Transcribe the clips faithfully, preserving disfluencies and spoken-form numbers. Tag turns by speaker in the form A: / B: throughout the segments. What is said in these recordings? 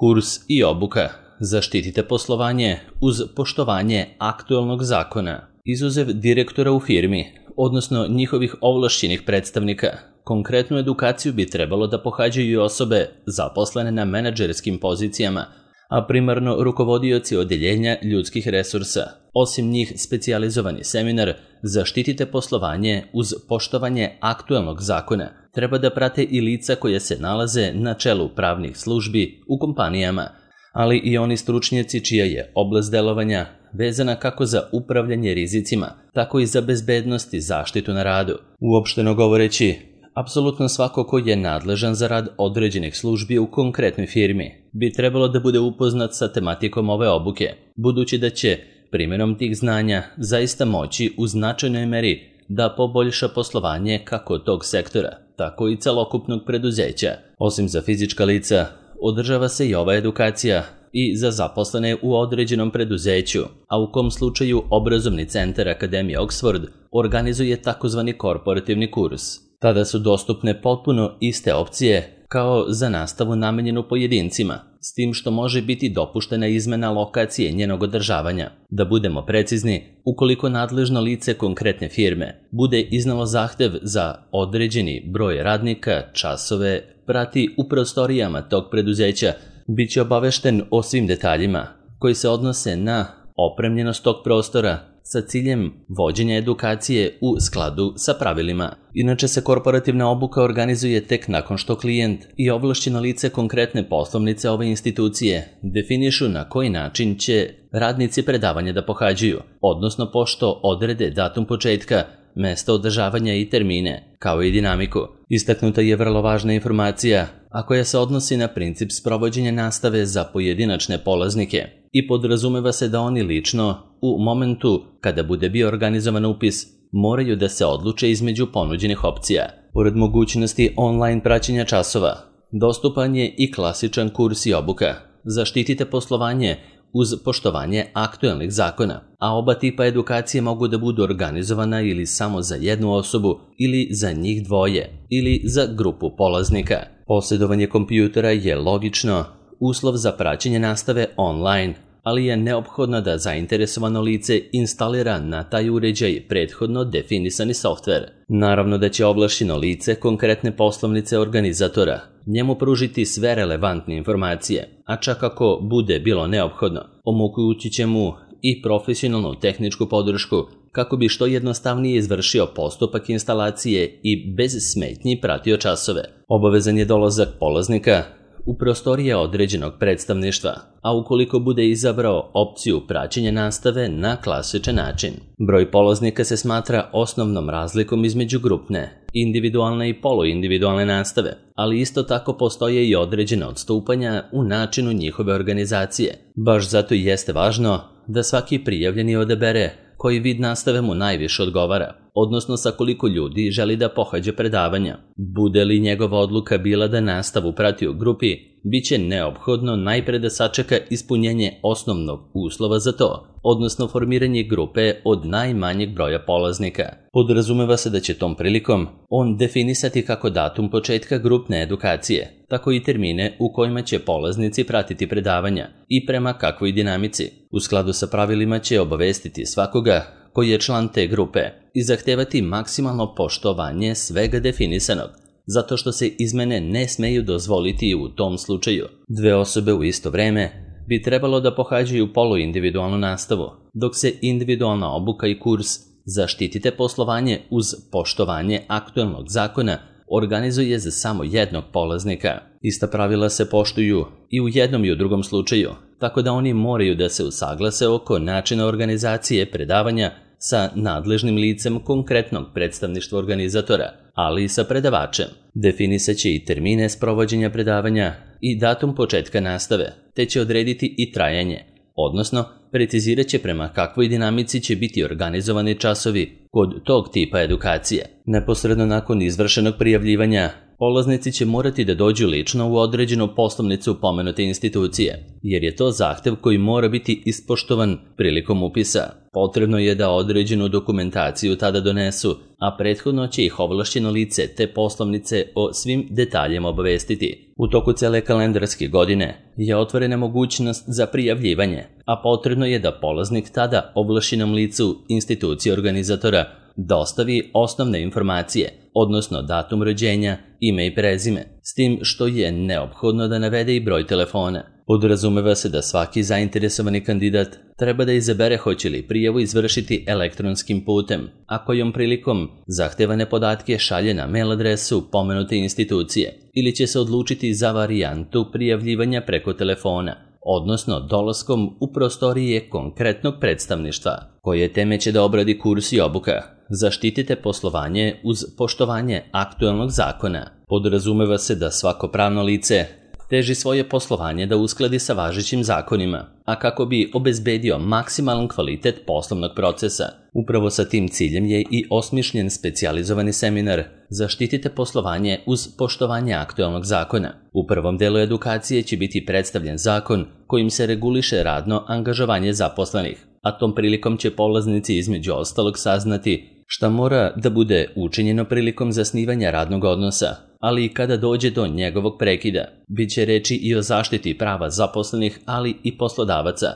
A: Kurs i obuka. Zaštitite poslovanje uz poštovanje aktualnog zakona. Izuzev direktora u firmi, odnosno njihovih ovlašćenih predstavnika, konkretnu edukaciju bi trebalo da pohađaju i osobe zaposlene na menadžerskim pozicijama, a primarno rukovodioci odeljenja ljudskih resursa. Osim njih, specijalizovani seminar Zaštitite poslovanje uz poštovanje aktualnog zakona treba da prate i lica koje se nalaze na čelu pravnih službi u kompanijama, ali i oni stručnjaci čija je oblast delovanja vezana kako za upravljanje rizicima, tako i za bezbednost i zaštitu na radu. Uopšteno govoreći, apsolutno svako ko je nadležan za rad određenih službi u konkretnoj firmi bi trebalo da bude upoznat sa tematikom ove obuke, budući da će primjenom tih znanja zaista moći u značajnoj meri da poboljša poslovanje kako tog sektora, tako i celokupnog preduzeća. Osim za fizička lica, održava se i ova edukacija i za zaposlene u određenom preduzeću, a u kom slučaju obrazovni centar Akademije Oxford organizuje takozvani korporativni kurs. Tada su dostupne potpuno iste opcije kao za nastavu namenjenu pojedincima, s tim što može biti dopuštena izmena lokacije njenog održavanja. Da budemo precizni, ukoliko nadležno lice konkretne firme bude iznalo zahtev za određeni broj radnika, časove, prati u prostorijama tog preduzeća, bit će obavešten o svim detaljima koji se odnose na opremljenost tog prostora sa ciljem vođenja edukacije u skladu sa pravilima. Inače se korporativna obuka organizuje tek nakon što klijent i ovlašćeno lice konkretne poslovnice ove institucije definišu na koji način će radnici predavanja da pohađaju, odnosno pošto odrede datum početka, mesto održavanja i termine, kao i dinamiku. Istaknuta je vrlo važna informacija, a koja se odnosi na princip sprovođenja nastave za pojedinačne polaznike i podrazumeva se da oni lično, u momentu kada bude bio organizovan upis, moraju da se odluče između ponuđenih opcija. Pored mogućnosti online praćenja časova, dostupan je i klasičan kurs i obuka. Zaštitite poslovanje uz poštovanje aktualnih zakona, a oba tipa edukacije mogu da budu organizovana ili samo za jednu osobu, ili za njih dvoje, ili za grupu polaznika. Posjedovanje kompjutera je logično uslov za praćenje nastave online, ali je neophodno da zainteresovano lice instalira na taj uređaj prethodno definisani softver. Naravno da će ovlašćeno lice konkretne poslovnice organizatora njemu pružiti sve relevantne informacije, a čak ako bude bilo neophodno, omogućit će mu i profesionalnu tehničku podršku kako bi što jednostavnije izvršio postupak instalacije i bez smetnji pratio časove. Obavezan je dolazak polaznika u prostorije određenog predstavništva, a ukoliko bude izabrao opciju praćenja nastave na klasičan način. Broj polaznika se smatra osnovnom razlikom između grupne, individualne i poluindividualne nastave, ali isto tako postoje i određene odstupanja u načinu njihove organizacije. Baš zato i jeste važno da svaki prijavljeni odabere koji vid nastave mu najviše odgovara, odnosno sa koliko ljudi želi da pohađa predavanja. Bude li njegova odluka bila da nastavu prati u grupi, bit će neophodno najpre da sačeka ispunjenje osnovnog uslova za to, odnosno formiranje grupe od najmanjeg broja polaznika. Podrazumeva se da će tom prilikom on definisati kako datum početka grupne edukacije, tako i termine u kojima će polaznici pratiti predavanja i prema kakvoj dinamici. U skladu sa pravilima će obavestiti svakoga koji je član te grupe i zahtevati maksimalno poštovanje svega definisanog, zato što se izmene ne smeju dozvoliti u tom slučaju. Dve osobe u isto vreme bi trebalo da pohađaju poluindividualnu nastavu, dok se individualna obuka i kurs Zaštitite poslovanje uz poštovanje aktualnog zakona organizuje za samo jednog polaznika. Ista pravila se poštuju i u jednom i u drugom slučaju, tako da oni moraju da se usaglase oko načina organizacije predavanja sa nadležnim licem konkretnog predstavništva organizatora, ali i sa predavačem. Definisaće i termine sprovođenja predavanja i datum početka nastave, te će odrediti i trajanje, odnosno precizirat će prema kakvoj dinamici će biti organizovani časovi kod tog tipa edukacije. Neposredno nakon izvršenog prijavljivanja, polaznici će morati da dođu lično u određenu poslovnicu pomenute institucije, jer je to zahtev koji mora biti ispoštovan prilikom upisa. Potrebno je da određenu dokumentaciju tada donesu, a prethodno će ih ovlašćeno lice te poslovnice o svim detaljima obavestiti. U toku cele kalendarske godine je otvorena mogućnost za prijavljivanje, a potrebno je da polaznik tada ovlašćenom licu institucije organizatora dostavi osnovne informacije, odnosno datum rođenja, ime i prezime, s tim što je neophodno da navede i broj telefona. Podrazumeva se da svaki zainteresovani kandidat treba da izabere hoće li prijavu izvršiti elektronskim putem, a kojom prilikom zahtevane podatke šalje na mail adresu pomenute institucije, ili će se odlučiti za varijantu prijavljivanja preko telefona, odnosno dolaskom u prostorije konkretnog predstavništva, koje teme će da obradi kurs i obuka. Zaštitite poslovanje uz poštovanje aktuelnog zakona. Podrazumeva se da svako pravno lice teži svoje poslovanje da uskladi sa važećim zakonima, a kako bi obezbedio maksimalan kvalitet poslovnog procesa. Upravo sa tim ciljem je i osmišljen specijalizovani seminar Zaštitite poslovanje uz poštovanje aktuelnog zakona. U prvom delu edukacije će biti predstavljen zakon kojim se reguliše radno angažovanje zaposlenih, a tom prilikom će polaznici između ostalog saznati šta mora da bude učinjeno prilikom zasnivanja radnog odnosa, ali i kada dođe do njegovog prekida. Biće reči i o zaštiti prava zaposlenih, ali i poslodavaca,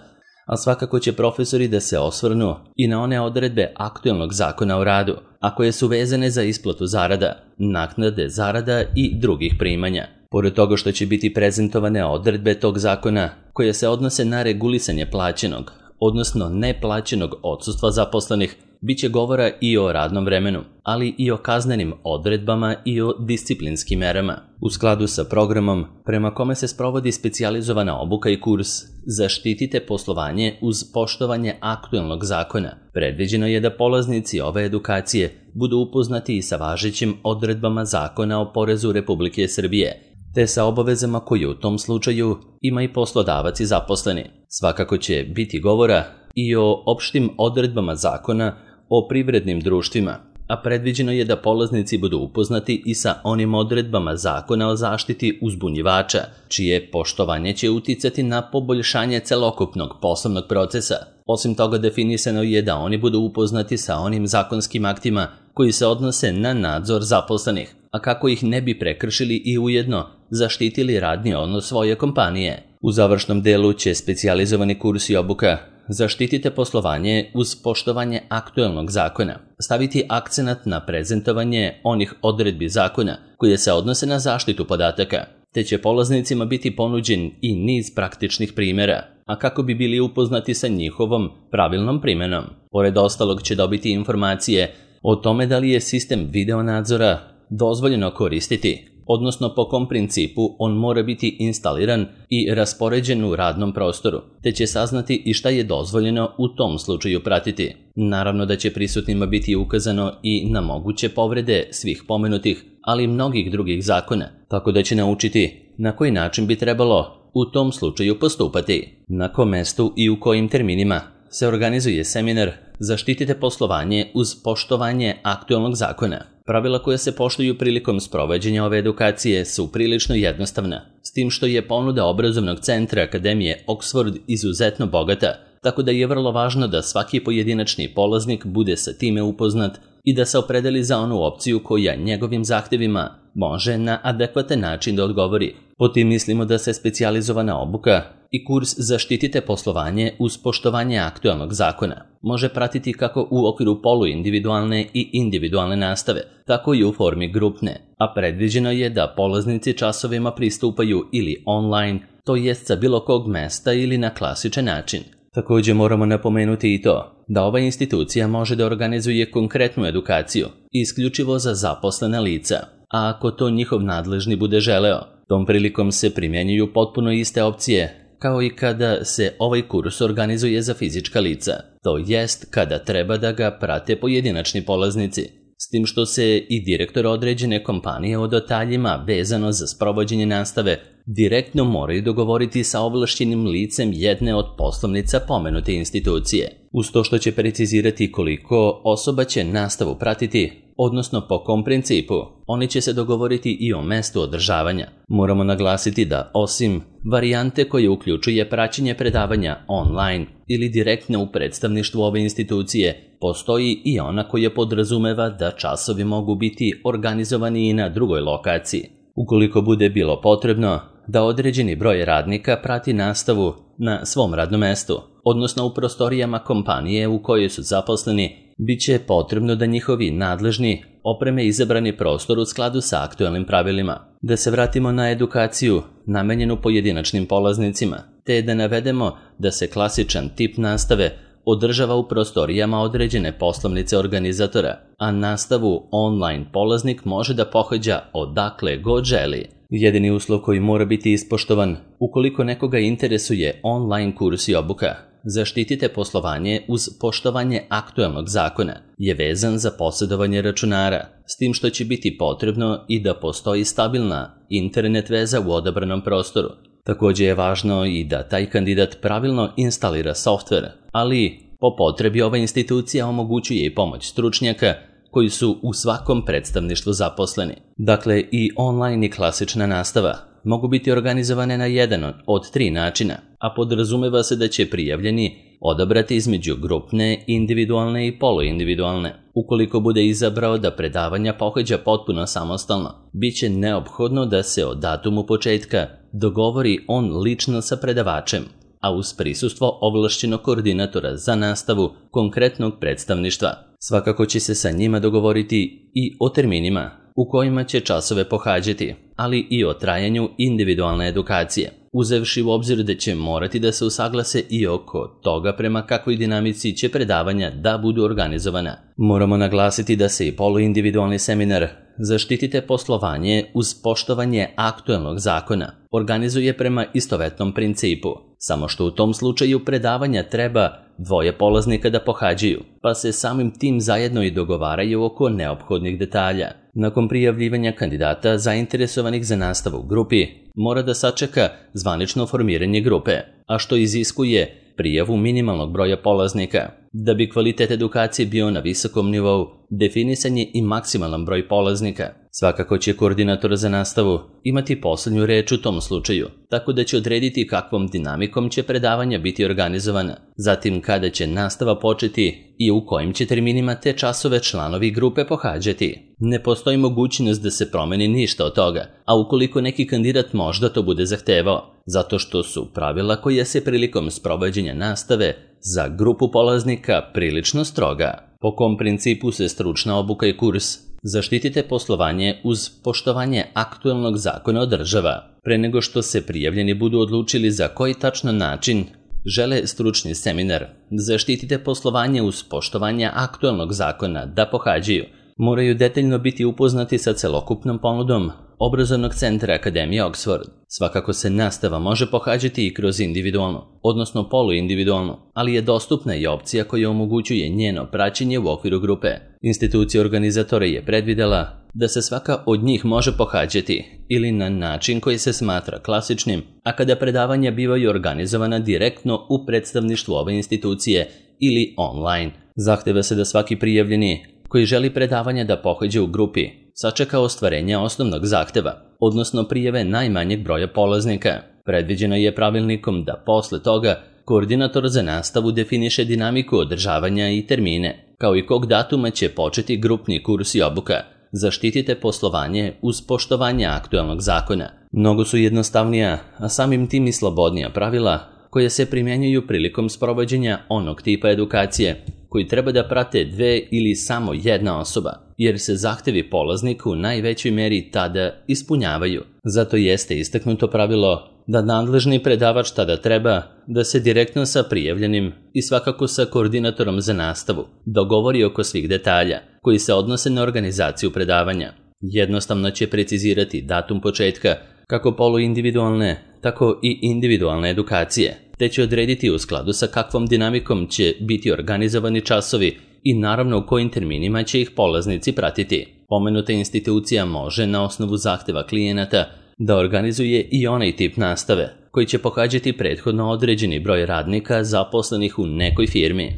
A: a svakako će profesori da se osvrnu i na one odredbe aktuelnog zakona o radu, a koje su vezane za isplatu zarada, naknade zarada i drugih primanja. Pored toga što će biti prezentovane odredbe tog zakona koje se odnose na regulisanje plaćenog, odnosno neplaćenog odsustva zaposlenih, bit će govora i o radnom vremenu, ali i o kaznenim odredbama i o disciplinskim merama. U skladu sa programom prema kome se sprovodi specijalizovana obuka i kurs Zaštitite poslovanje uz poštovanje aktuelnog zakona, predviđeno je da polaznici ove edukacije budu upoznati i sa važećim odredbama Zakona o porezu Republike Srbije, te sa obavezama koje u tom slučaju ima i poslodavac i zaposleni. Svakako će biti govora i o opštim odredbama Zakona o privrednim društvima, a predviđeno je da polaznici budu upoznati i sa onim odredbama Zakona o zaštiti uzbunjivača, čije poštovanje će uticati na poboljšanje celokupnog poslovnog procesa. Osim toga, definisano je da oni budu upoznati sa onim zakonskim aktima koji se odnose na nadzor zaposlenih, a kako ih ne bi prekršili i ujedno zaštitili radni odnos svoje kompanije. U završnom delu će specijalizovani kurs i obuka Zaštitite poslovanje uz poštovanje aktuelnog zakona staviti akcenat na prezentovanje onih odredbi zakona koje se odnose na zaštitu podataka, te će polaznicima biti ponuđen i niz praktičnih primjera, a kako bi bili upoznati sa njihovom pravilnom primenom. Pored ostalog će dobiti informacije o tome da li je sistem video nadzora dozvoljeno koristiti, odnosno po kom principu on mora biti instaliran i raspoređen u radnom prostoru, te će saznati i šta je dozvoljeno u tom slučaju pratiti. Naravno da će prisutnima biti ukazano i na moguće povrede svih pomenutih, ali i mnogih drugih zakona, tako da će naučiti na koji način bi trebalo u tom slučaju postupati, na kom mestu i u kojim terminima se organizuje seminar Zaštitite poslovanje uz poštovanje aktuelnog zakona. Pravila koja se poštuju prilikom sprovođenja ove edukacije su prilično jednostavna, s tim što je ponuda obrazovnog centra Akademije Oxford izuzetno bogata, tako da je vrlo važno da svaki pojedinačni polaznik bude sa time upoznat i da se opredeli za onu opciju koja njegovim zahtevima može na adekvatan način da odgovori. Po tim mislimo da se specijalizovana obuka i kurs Zaštitite poslovanje uz poštovanje aktuelnog zakona može pratiti kako u okviru poluindividualne i individualne nastave, tako i u formi grupne, a predviđeno je da polaznici časovima pristupaju ili online, to jest sa bilo kog mesta ili na klasičan način. Također moramo napomenuti i to da ova institucija može da organizuje konkretnu edukaciju isključivo za zaposlena lica, a ako to njihov nadležni bude želeo, tom prilikom se primjenjuju potpuno iste opcije kao i kada se ovaj kurs organizuje za fizička lica, to jest kada treba da ga prate pojedinačni polaznici, s tim što se i direktor određene kompanije o detaljima vezano za sprovođenje nastave direktno moraju dogovoriti sa ovlašćenim licem jedne od poslovnica pomenute institucije. uz to što će precizirati koliko osoba će nastavu pratiti, odnosno po kom principu. Oni će se dogovoriti i o mestu održavanja. Moramo naglasiti da osim varijante koje uključuje praćenje predavanja online ili direktno u predstavništvu ove institucije, postoji i ona koja podrazumeva da časovi mogu biti organizovani i na drugoj lokaciji. Ukoliko bude bilo potrebno da određeni broj radnika prati nastavu na svom radnom mestu, odnosno u prostorijama kompanije u kojoj su zaposleni, bit će potrebno da njihovi nadležni opreme izabrani prostor u skladu sa aktuelnim pravilima. Da se vratimo na edukaciju namenjenu pojedinačnim polaznicima, te da navedemo da se klasičan tip nastave održava u prostorijama određene poslovnice organizatora, a nastavu online polaznik može da pohađa odakle god želi. Jedini uslov koji mora biti ispoštovan ukoliko nekoga interesuje online kurs i obuka, zaštitite poslovanje uz poštovanje aktuelnog zakona, je vezan za posjedovanje računara, s tim što će biti potrebno i da postoji stabilna internet veza u odabranom prostoru. Također je važno i da taj kandidat pravilno instalira softver, ali po potrebi ova institucija omogućuje i pomoć stručnjaka koji su u svakom predstavništvu zaposleni. Dakle, i online i klasična nastava mogu biti organizovane na jedan od tri načina, a podrazumeva se da će prijavljeni odabrati između grupne, individualne i poluindividualne. Ukoliko bude izabrao da predavanja pohađa potpuno samostalno, bit će neophodno da se o datumu početka dogovori on lično sa predavačem, a uz prisustvo ovlašćenog koordinatora za nastavu konkretnog predstavništva. Svakako će se sa njima dogovoriti i o terminima u kojima će časove pohađati, ali i o trajanju individualne edukacije, uzevši u obzir da će morati da se usaglase i oko toga prema kakvoj dinamici će predavanja da budu organizovana. Moramo naglasiti da se i poluindividualni seminar Zaštitite poslovanje uz poštovanje aktuelnog zakona organizuje prema istovetnom principu, samo što u tom slučaju predavanja treba dvoje polaznika da pohađaju, pa se samim tim zajedno i dogovaraju oko neophodnih detalja. Nakon prijavljivanja kandidata zainteresovanih za nastavu u grupi, mora da sačeka zvanično formiranje grupe, a što iziskuje prijavu minimalnog broja polaznika. Da bi kvalitet edukacije bio na visokom nivou, definisan je i maksimalan broj polaznika. Svakako će koordinator za nastavu imati poslednju reč u tom slučaju, tako da će odrediti kakvom dinamikom će predavanja biti organizovana, zatim kada će nastava početi i u kojim će terminima te časove članovi grupe pohađati. Ne postoji mogućnost da se promeni ništa od toga, a ukoliko neki kandidat možda to bude zahtevao, zato što su pravila koja se prilikom sprovođenja nastave za grupu polaznika prilično stroga. Po kom principu se stručna obuka i kurs Zaštitite poslovanje uz poštovanje aktuelnog zakona održava. Pre nego što se prijavljeni budu odlučili za koji tačno način žele stručni seminar Zaštitite poslovanje uz poštovanje aktuelnog zakona da pohađaju, moraju detaljno biti upoznati sa celokupnom ponudom obrazovnog centra Akademije Oxford. Svakako se nastava može pohađati i kroz individualno, odnosno poluindividualno, ali je dostupna i opcija koja omogućuje njeno praćenje u okviru grupe. Institucija organizatora je predvidela da se svaka od njih može pohađati ili na način koji se smatra klasičnim, a kada predavanja bivaju organizovana direktno u predstavništvu ove institucije ili online. Zahteva se da svaki prijavljeni koji želi predavanja da pohađa u grupi sačeka ostvarenja osnovnog zahteva, odnosno prijave najmanjeg broja polaznika. Predviđeno je pravilnikom da posle toga koordinator za nastavu definiše dinamiku održavanja i termine, kao i kog datuma će početi grupni kurs i obuka. Zaštitite poslovanje uz poštovanje aktuelnog zakona. Mnogo su jednostavnija, a samim tim i slobodnija pravila koje se primjenjuju prilikom sprovođenja onog tipa edukacije koji treba da prate dve ili samo jedna osoba, jer se zahtevi polaznika u najvećoj meri tada ispunjavaju. Zato jeste istaknuto pravilo da nadležni predavač tada treba da se direktno sa prijavljenim i svakako sa koordinatorom za nastavu dogovori oko svih detalja koji se odnose na organizaciju predavanja. Jednostavno će precizirati datum početka kako poluindividualne, tako i individualne edukacije, te će odrediti u skladu sa kakvom dinamikom će biti organizovani časovi i naravno u kojim terminima će ih polaznici pratiti. Pomenuta institucija može na osnovu zahteva klijenata da organizuje i onaj tip nastave koji će pohađati prethodno određeni broj radnika zaposlenih u nekoj firmi.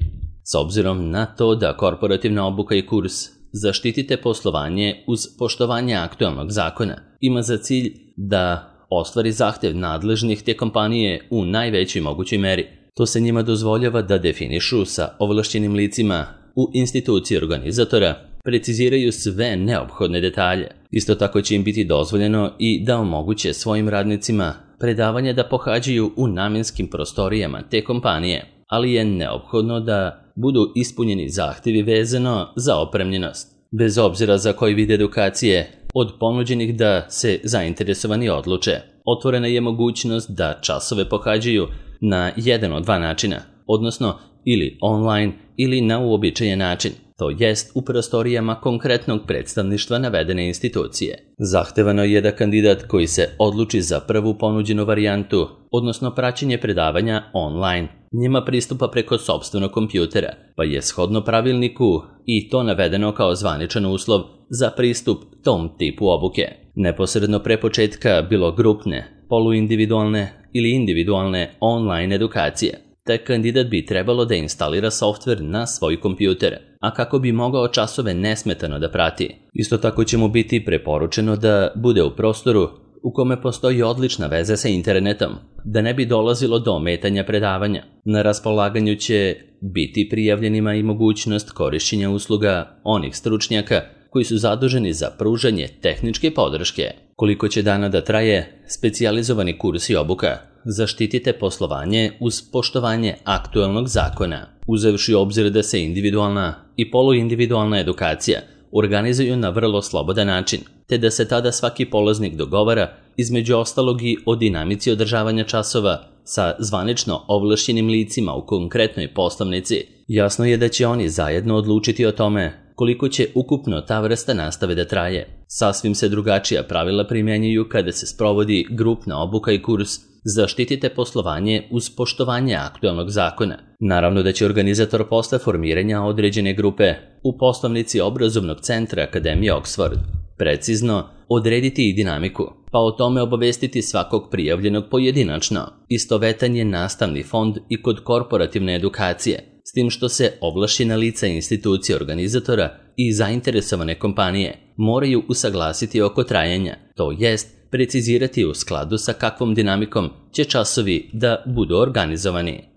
A: S obzirom na to da korporativna obuka i kurs Zaštitite poslovanje uz poštovanje aktuelnog zakona ima za cilj da ostvari zahtev nadležnih te kompanije u najvećoj mogućoj meri. To se njima dozvoljava da definišu sa ovlašćenim licima u instituciji organizatora, preciziraju sve neophodne detalje. Isto tako će im biti dozvoljeno i da omoguće svojim radnicima predavanje da pohađaju u namenskim prostorijama te kompanije, ali je neophodno da budu ispunjeni zahtevi vezano za opremljenost. Bez obzira za koji vid edukacije od ponuđenih da se zainteresovani odluče, otvorena je mogućnost da časove pohađaju na jedan od dva načina, odnosno ili online ili na uobičajen način, to jest u prostorijama konkretnog predstavništva navedene institucije. Zahtevano je da kandidat koji se odluči za prvu ponuđenu varijantu, odnosno praćenje predavanja online, njima pristupa preko sopstvenog kompjutera, pa je shodno pravilniku i to navedeno kao zvaničan uslov za pristup tom tipu obuke. Neposredno pre početka bilo grupne, poluindividualne ili individualne online edukacije, te kandidat bi trebalo da instalira softver na svoj kompjuter, a kako bi mogao časove nesmetano da prati. Isto tako će mu biti preporučeno da bude u prostoru u kome postoji odlična veza sa internetom, da ne bi dolazilo do ometanja predavanja. Na raspolaganju će biti prijavljenima i mogućnost korišćenja usluga onih stručnjaka koji su zaduženi za pružanje tehničke podrške. Koliko će dana da traje specijalizovani kurs i obuka Zaštitite poslovanje uz poštovanje aktuelnog zakona, uzevši u obzir da se individualna i poluindividualna edukacija organizuju na vrlo slobodan način, te da se tada svaki polaznik dogovara između ostalog i o dinamici održavanja časova sa zvanično ovlašćenim licima u konkretnoj poslovnici. Jasno je da će oni zajedno odlučiti o tome koliko će ukupno ta vrsta nastave da traje. Sasvim se drugačija pravila primjenjuju kada se sprovodi grupna obuka i kurs Zaštitite poslovanje uz poštovanje aktuelnog zakona. Naravno da će organizator posle formiranja određene grupe u poslovnici obrazovnog centra Akademije Oxford precizno odrediti i dinamiku, pa o tome obavestiti svakog prijavljenog pojedinačno. Istovetan je nastavni fond i kod korporativne edukacije, s tim što se ovlašćena lica institucije organizatora i zainteresovane kompanije moraju usaglasiti oko trajanja, to jest precizirati u skladu sa kakvom dinamikom će časovi da budu organizovani.